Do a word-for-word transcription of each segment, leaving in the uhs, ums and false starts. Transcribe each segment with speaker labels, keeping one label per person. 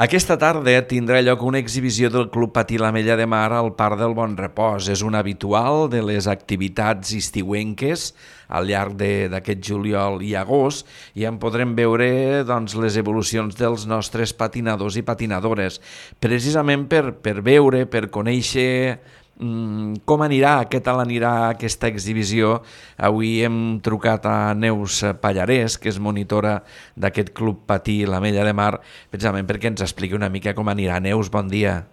Speaker 1: Aquesta tarda tindrà lloc una exhibició del Club Patí l'Ametlla de Mar al Parc del Bon Repòs. És un habitual de les activitats estiuenques al llarg d'aquest juliol i agost i en podrem veure doncs, les evolucions dels nostres patinadors i patinadores. Precisament per, per veure, per conèixer mm, com anirà, què tal anirà aquesta exhibició. Avui hem trucat a Neus Pallarès, que és monitora d'aquest Club Patí l'Ametlla de Mar, precisament perquè ens expliqui una mica com anirà. Neus, bon dia.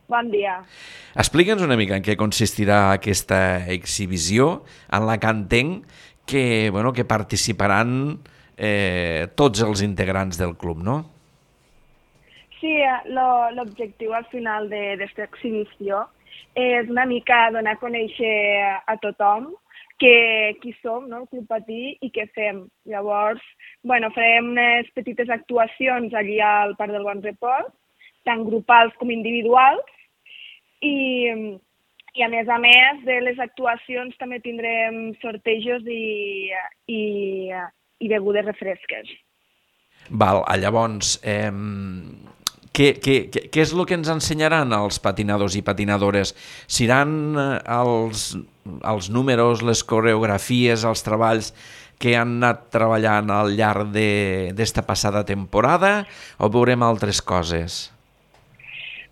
Speaker 2: Bon dia.
Speaker 1: Explica'ns una mica en què consistirà aquesta exhibició, en la que entenc que, bueno, que participaran eh, tots els integrants del club, no?
Speaker 2: Sí, lo- l'objectiu al final d'aquesta exhibició és una mica donar a conèixer a tothom que, qui som, no? El Club Patí, i què fem. Llavors, bueno, farem unes petites actuacions allí al Parc del Bon Repòs, tant grupals com individuals, i, i a més a més de les actuacions també tindrem sortejos i, i, i begudes refresques.
Speaker 1: Val, llavors, eh, què, què, què, què és el que ens ensenyaran els patinadors i patinadores? Seran eh, els, els números, les coreografies, els treballs que han anat treballant al llarg d'esta passada temporada o veurem altres coses?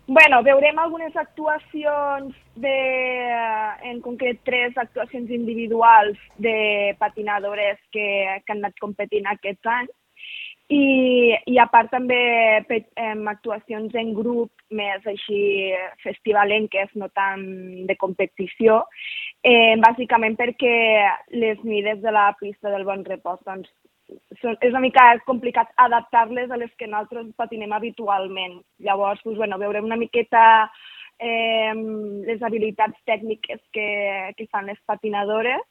Speaker 2: Bueno, veurem algunes actuacions, de, en concret tres actuacions individuals de patinadores que, que han anat competint aquest any. I, i a part també em, actuacions en grup més així festivalenques, no tant de competició, eh, bàsicament perquè les mides de la pista del Bon Repòs doncs, són, és una mica complicat adaptar-les a les que nosaltres patinem habitualment. Llavors, doncs, bueno, veurem una miqueta eh, les habilitats tècniques que, que fan les patinadores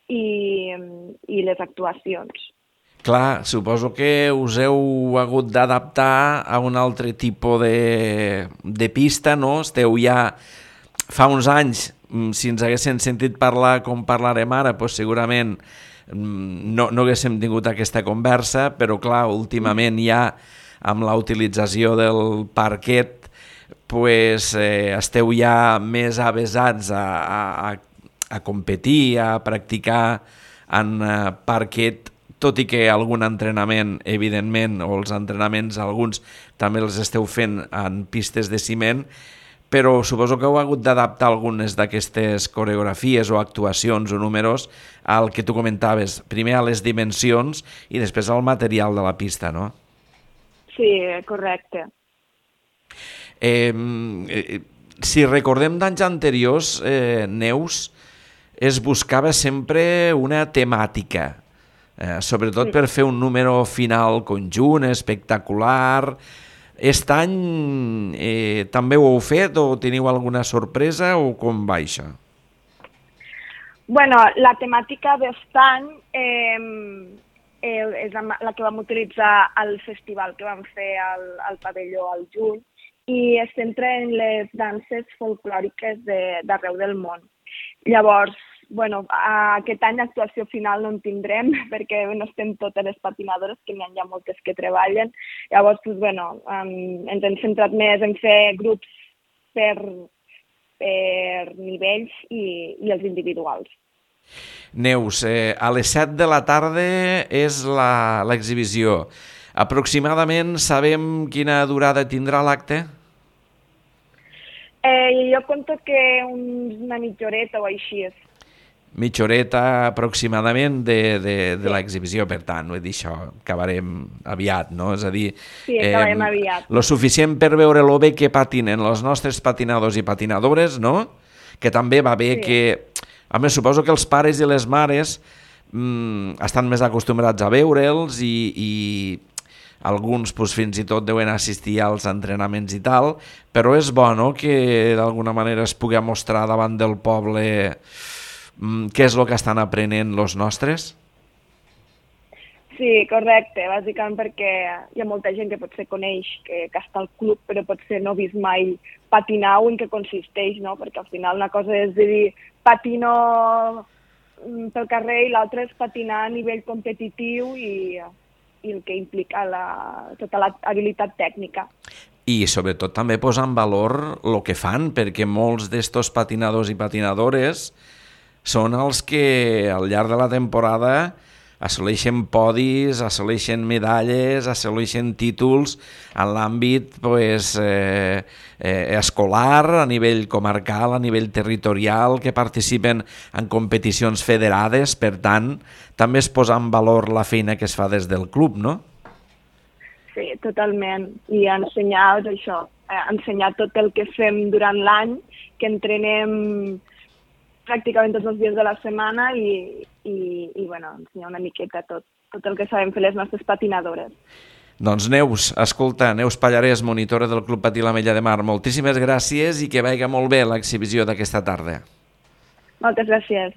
Speaker 2: i, i les actuacions.
Speaker 1: Clar, suposo que us heu hagut d'adaptar a un altre tipus de, de pista, no? Esteu ja fa uns anys, si ens haguessin sentit parlar com parlarem ara, doncs segurament no, no haguéssim tingut aquesta conversa, però clar, últimament ja amb la utilització del parquet pues, eh, esteu ja més avesats a, a, a competir, a practicar en eh, parquet, tot i que algun entrenament, evidentment, o els entrenaments, alguns també els esteu fent en pistes de ciment, però suposo que heu hagut d'adaptar algunes d'aquestes coreografies o actuacions o números al que tu comentaves, primer a les dimensions i després al material de la pista, no?
Speaker 2: Sí, correcte.
Speaker 1: Eh, eh, si recordem d'anys anteriors, eh, Neus, es buscava sempre una temàtica, Eh, sobretot per fer un número final conjunt, espectacular. Aquest any eh, també ho heu fet o teniu alguna sorpresa o com va això?
Speaker 2: Bueno, la temàtica d'aquest any eh, eh, és la, la que vam utilitzar al festival que vam fer al, al pavelló al juny i es centra en les danses folclòriques d'arreu de, del món. Llavors, bueno, aquest any actuació final no en tindrem perquè no estem totes les patinadores, que n'hi ha ja moltes que treballen. Llavors, doncs, bueno, um, ens hem centrat més en fer grups per, per nivells i, i els individuals.
Speaker 1: Neus, eh, a les set de la tarda és l'exhibició. Aproximadament sabem quina durada tindrà l'acte?
Speaker 2: Eh, jo conto que una mitja horeta o així és.
Speaker 1: Mitja horeta aproximadament de, de, de l'exhibició, per tant, vull dir, això acabarem aviat, no? És a dir,
Speaker 2: sí, acabarem eh, aviat.
Speaker 1: Lo suficient per veure lo bé que patinen els nostres patinadors i patinadores, no? Que també va bé sí. que... A més, suposo que els pares i les mares mmm, estan més acostumbrats a veure'ls i, i alguns pues, fins i tot deuen assistir als entrenaments i tal, però és bo, no?, que d'alguna manera es pugui mostrar davant del poble què és el que estan aprenent els nostres?
Speaker 2: Sí, correcte, bàsicament perquè hi ha molta gent que potser coneix que, que està al club, però potser no ha vist mai patinar o en què consisteix, no? Perquè al final una cosa és dir patino pel carrer i l'altra és patinar a nivell competitiu i, i el que implica la, tota l'habilitat tècnica.
Speaker 1: I sobretot també posar en valor el que fan, perquè molts d'estos patinadors i patinadores són els que al llarg de la temporada assoleixen podis, assoleixen medalles, assoleixen títols en l'àmbit pues, eh, eh, escolar, a nivell comarcal, a nivell territorial, que participen en competicions federades. Per tant, també es posa en valor la feina que es fa des del club, no?
Speaker 2: Sí, totalment. I ensenyar això, ensenyar tot el que fem durant l'any, que entrenem pràcticament tots els dies de la setmana i, i, i bueno, ensenyar una miqueta tot, tot el que sabem fer les nostres patinadores.
Speaker 1: Doncs Neus, escolta, Neus Pallarès, monitora del Club Patí l'Ametlla de Mar, moltíssimes gràcies i que vagi molt bé l'exhibició d'aquesta tarda.
Speaker 2: Moltes gràcies.